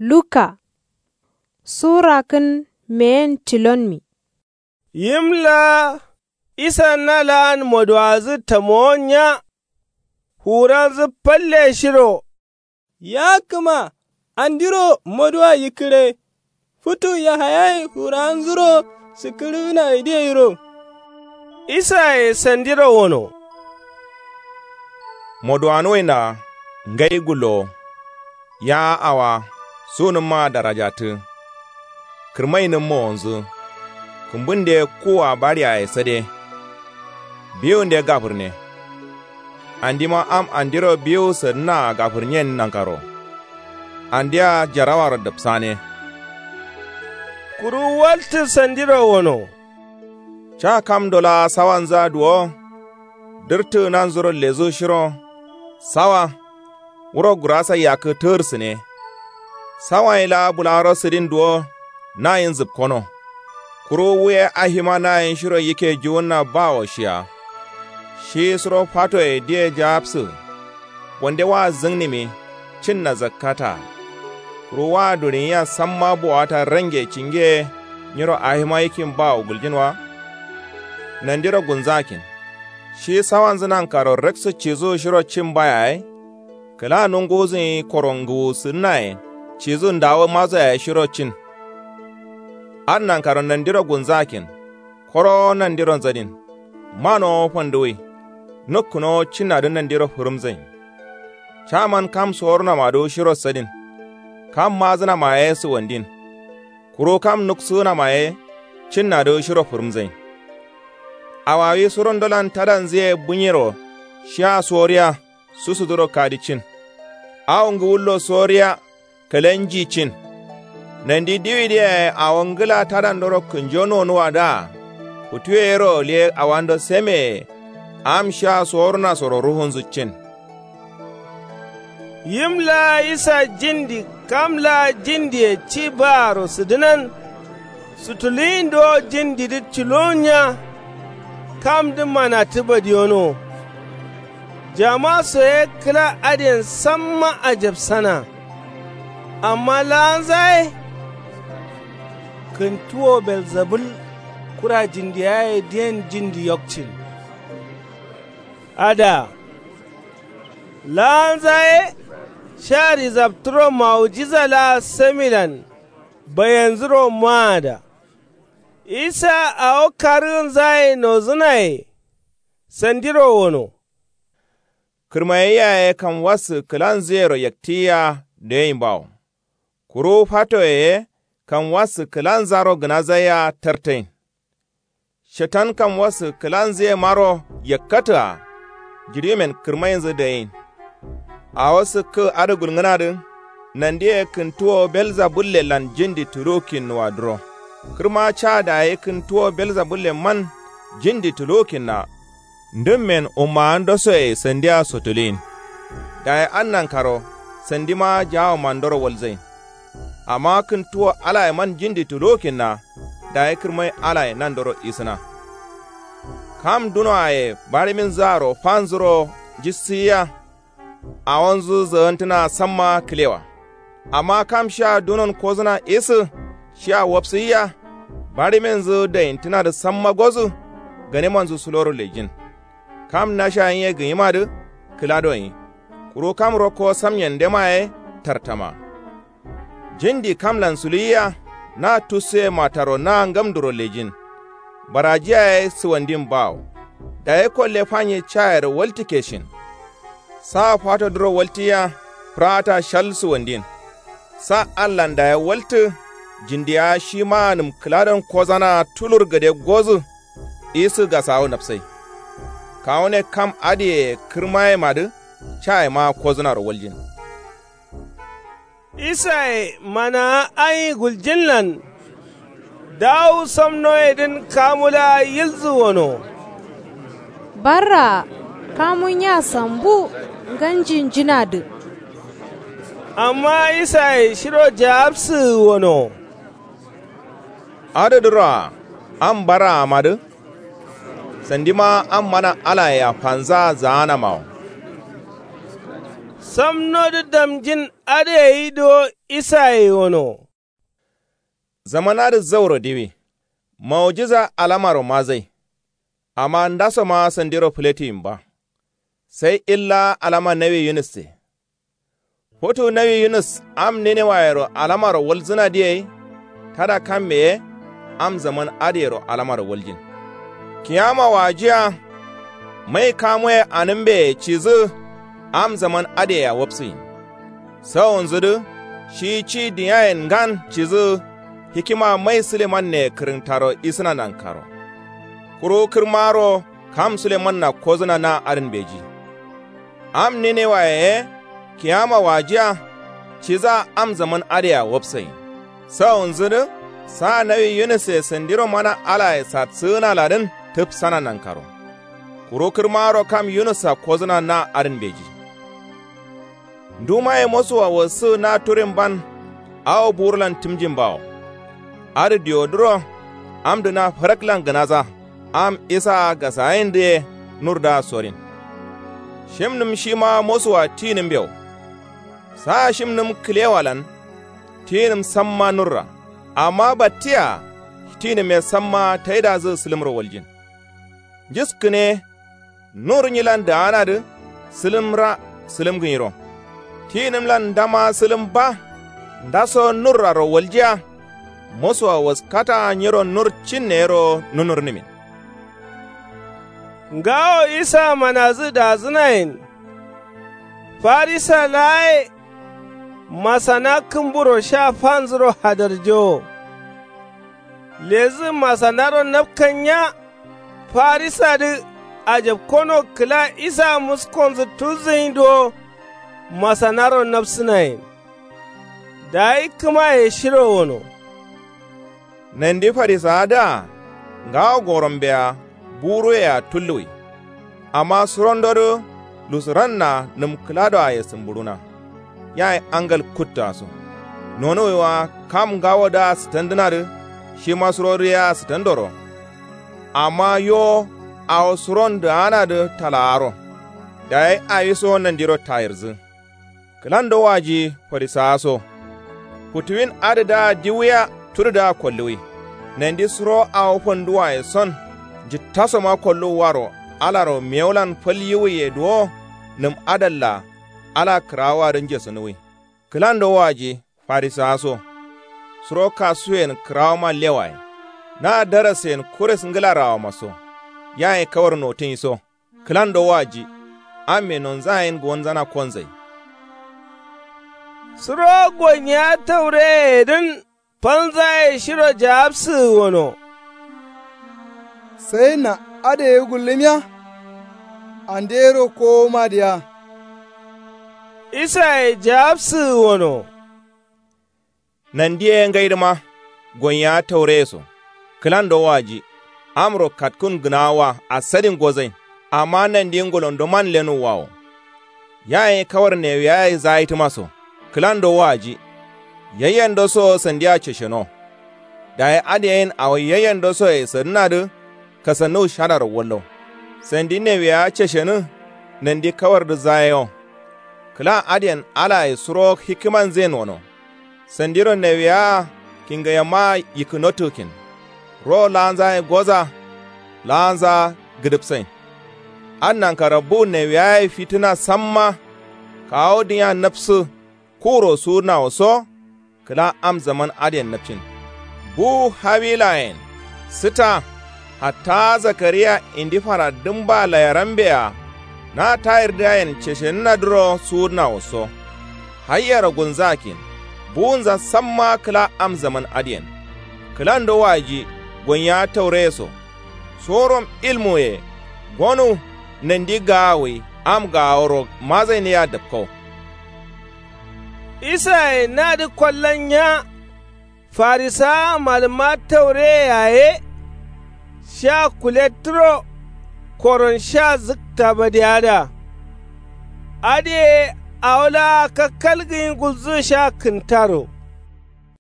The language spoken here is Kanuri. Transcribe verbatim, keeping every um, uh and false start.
Luka. Sura kǝn meyen tilonmi. Yim laa isa na laan moduwazǝ tamowo nya. Fuwuranzǝ falle shiro. Ya kǝma andiro moduwa yikkǝre. Futu yahayaye fuwuranzuro sikkǝrǝgǝna idiyeyiro. Isaye sandiro wono. Moduwanuwai na ngai gullowo. Ya awa sunǝmma darajatǝ. Kǝrmainǝm mowonzǝ. Kǝmbunde kuwa bariyaye sade. Biwunde gafǝrne. Andima am andiro biwu sǝdǝnaa gafǝrnyen nankaro. Andia jarawaro dǝpsane. Kuru waltǝ sandiro wono. Ca kamdo laa sawanzǝa duwo. Dǝrtǝ nanzuro lezu shiro. Sawa. Wuro gurasa yakkǝ tǝgǝrsǝne. Sawaye laa bularo sǝdin duwo. Nayin zǝpkono. Kuru wu ye ahima nayin shiro yikke juwunna bawo shiya. Shi suro fatoye diye jaapsǝ. Wande wa zǝngnǝmi. Cinna zakkata. Kuru wa durinyiya samma bowata range cinge. Nyiro ahima yikkin bawo guljin wa. Nandiro gunzakin. Shi sawanzǝ nankaro raksǝ cizu shiro cin ba yaye. Kǝla nunguwuzǝnyi koro ngǝwusǝdǝnaye. Cizu ndawu mazo yaye shiro cin. Adǝ nankaro nandiro gunzakin. Korowo nandiro nzadin. Manowo fanduwui. Nukkǝnowo cinnadǝ nandiro fǝrǝmzain. Caman kam sorunamadu shiro sadin. Kam mazǝnama ye sǝwandin. Kuru kam nuksǝgǝnama ye cinnadǝ shiro fǝrǝmzain. Awawi surondolan tadanzǝye bunyiro. Shiya soriya. Susuduro kadi cin. Awo ngǝwullo soriya. Kǝlanji cin. Nandi diwidǝ yaye awo ngǝla tadandoro kǝnjo nonuwadǝa. Futuye yero liye awando semeye. Am shiya sorunasoro rufunzǝ cin. Yim laa isa jindi kam laa jindiye ci baaro sǝdǝnan. Sutulǝyin dowo jindidǝ tulowunya. Kamdǝ manatǝ badiyono. Jama so ye kǝla adǝyen samma ajabsana. Amma laanza ye. Kǝntuwo belzabul kura jindiyaye diyen jindi yokcin. Adǝa. Laanza ye. Sha rizabtǝro mawujiza laa samilan. Bayenzǝro maada. Isa awo karǝgǝnzaye nozǝnaye. Sandiro wono. Kǝrmaye yaye kam wassǝ kǝlanzǝyero yaktiyiya doyin bawo. Kuru fatoye ye kam wassǝ kǝlanzaro gǝnazaiya tartain. Shetan kam wassǝ kǝlanzǝyemaro yakkatǝa. Jiɍimen kǝrmainzǝ dayin. Awo sǝkkǝ adǝ gulngǝnadǝ. Nandiye kǝntuwo belzabullelan jindi tuluwukkinnuwadǝro. Kǝrma ca dayi kǝntuwo belzabulleman jindi tuluwukkinna. Ndǝmmen ummawandosoye sandia sotuluyin. Dayi adǝ nankaro sandima jaawomandoro walzain. Amma kǝntuwo alayeman jindi tuluwukkinna. Dayi kǝrmai alaye nandoro isǝna. Kam dunoaye bariminzǝaro fanzuro jissǝyiya. Awonzǝ zagantǝna samma kǝlewa. Amma kam shia dunon kozǝna isǝ shia wapsǝyiya. Bariminzǝ dayintǝnadǝ samma gozǝ. Ganemanzǝ suloro lejin. Kam nasha nyiye gǝnyimadǝ kǝla donyi. Kuru kam rokko samyendema ye tartama. Jindi kamlan suluyiya. Na tussuye mataro na ngamduro lejin. Barajiya ye sǝwandin bawo. Dayi kolle fanye cayero waltǝke shin. Sa fatodǝro waltǝyiya. Fǝrata shal sǝwandin. Sa allan dayi waltǝ. Jindiya shimanǝm kǝladon kozana tulur gade gozǝ. Isǝ gasawu napsai. Kawune kam adǝye kǝrmayemadǝ. Cayema kozǝnaro waljin. Isaye manawa ayi guljinlan. Dawu samnoyedǝn kamu laa yilzǝ wono. Barraa kamu nya sambu nganjinjinadǝ. Amma isaye shiro jaapsǝgǝ wono. Adǝdǝroa am barraamadǝ. Sandima am mana alayea fanzaa zaanamawo. Samnodǝ damjin adǝ gai duwo. Isaye gono. Zaman adǝ zauro diwi. Maujiza alamaro mazai. Amma ndasoma sandiro fǝletiyin ba. Sai illa alama nawi yunusse. Futu nawi yunus am ninewayero alamaro walzǝnadǝ gai. Tada kamme ye am zaman adǝyero alamaro waljin. Kiyama wajiya. Mai kamuye anǝmbeye cidǝ. Am zaman adǝyea wapsǝgin. Sawonzǝdǝ shi ci diyayen ngan cidǝ. Hikima mai sulemanneye kǝrǝntaro isǝna nankaro. Kuru kǝrmaro kam sulemanna kozǝna na adǝn mbeji. Am ninewaye ye kiyama wajiya. Cidǝa am zaman adǝyea wapsayin. Sawonzǝdǝ sa nawi yunusse sandiro mana alaye satsǝgǝnaladǝn tǝpsana nankaro. Kuru kǝrmaro kam yunussa kozǝna na adǝn mbeji. Ndumaye mosuwa wassǝgǝ na turin ban. Awo burulan tǝmjin bawo. Adǝ diwodǝro amdǝ na faraklan gǝnaza. Am isaa gasayindǝ ye nurdǝa sorin. Shimnǝm shima mosuwa tinǝmbewo. Sa shimnǝm kǝlewalan tinǝm samma nurra. Amma battiya tinǝme samma taidazǝ sǝlǝmro waljin. Njiskǝne nur nyilan daanadǝ sǝlǝmra sǝlǝmgǝnyiro. Tinǝmlan ndama sǝlǝm ba. Ndaso nurraro waljiya. Mosuwa waskata nyiro nur cinneyero nunurnǝmin. Ngawo isa manazǝ dazǝnayen. Farisa laa ye. Masana kǝmburo sha fanzǝro hadarjowo. Lezǝ masanaro napkanya. Farisadǝ ajapkono kǝla isa muskonzǝ tulzǝgin duwo. Masanaro napsǝnayen. Dayi kǝmaye shiro gono. Nandi farisawadǝa ngawo gorombeya buruyea tulluwi. Amma surondodǝ lusuranna nǝm kǝladoaye sǝmbuɍuna. Yayi angal kuttǝaso. Nonuwiwa kam ngawodǝa sǝtandǝnadǝ. Shima surodǝ yea sǝtandoro. Amma yo awo suron dǝganadǝ talaaro. Dayi awiso nandiro tayirzǝ. Kǝlando waji farisawa so. Futuwin adǝdǝa diwuya tududǝa kolluwi. Nandi suro awo fanduwaye son njittasoma kolluwwaro alaro mewulan fal yiwuye duwo. Nǝm adalla ala kǝrawoadǝ njesunuwi. Kǝlando waji farisawa so. Suro kasuyen kǝrawoma lewaye. Na darasen kuris ngǝlarawoma so. Yaye kawar notǝnyi so. Kǝlando waji. Amme nonzayen gowonzana konzai. Suro gonyiya taureyeyedǝn. Fanzaye shiro jawabsǝgǝ gono. Sai na adǝ ye gullǝmiya. Andero kowoma diya. Isaye jawabsǝgǝ gono. Nandi ye ngaidǝma. Gonyiya taureye so. Kǝlando waji. Amro katkǝn gǝnawa asadin gozain. Amma nandi ngulondo man lenuwwa wo. Yaye kawar newiyaye zaitǝma so. Kǝlando waji. Yayyendo so sandiya cesheno. Dayi adǝ yen awo yayyendo soye sadǝnadǝ. Kasannuwu shadaro wallo. Sandi newiyawa ceshenǝ. Nandi kawardǝ zayewo. Kǝla adǝyen alaye suro hikkimanzǝyen wono. Sandiro newiyawaa kingayammaa yikkǝ notǝgǝ kin. Ro laanzaye goza. Laanzaa gǝdǝpsain. Adǝ nankaro bu newiyawaye fitǝna samma. Kawu dǝnya napsǝ. Kuro suwudǝnawo so. Kǝla am zaman adǝyen napcin. Bu hawilayen. Sǝta. Hatta zakariya indi fara dǝmba layarambeya. Na tayirdǝgayen ceshenǝnadǝro suwudǝnawo so. Hayyero gulnzǝgakkin. Buwunza samma kǝla am zaman adǝyen. Kǝlando waji. Gonyiya taureye so. Sorom ilmuye. Gonu. Nandi gaawuwi am gaaworo mazain yea dapkau. Isaye nadǝ kollan nya. Farisawa malǝmma taureye yaye. Sha kulettǝro. Koron sha zǝkta badiyadǝa. Adǝ ye awo laa kakkalgǝgin gulzǝgǝ sha kǝntaro.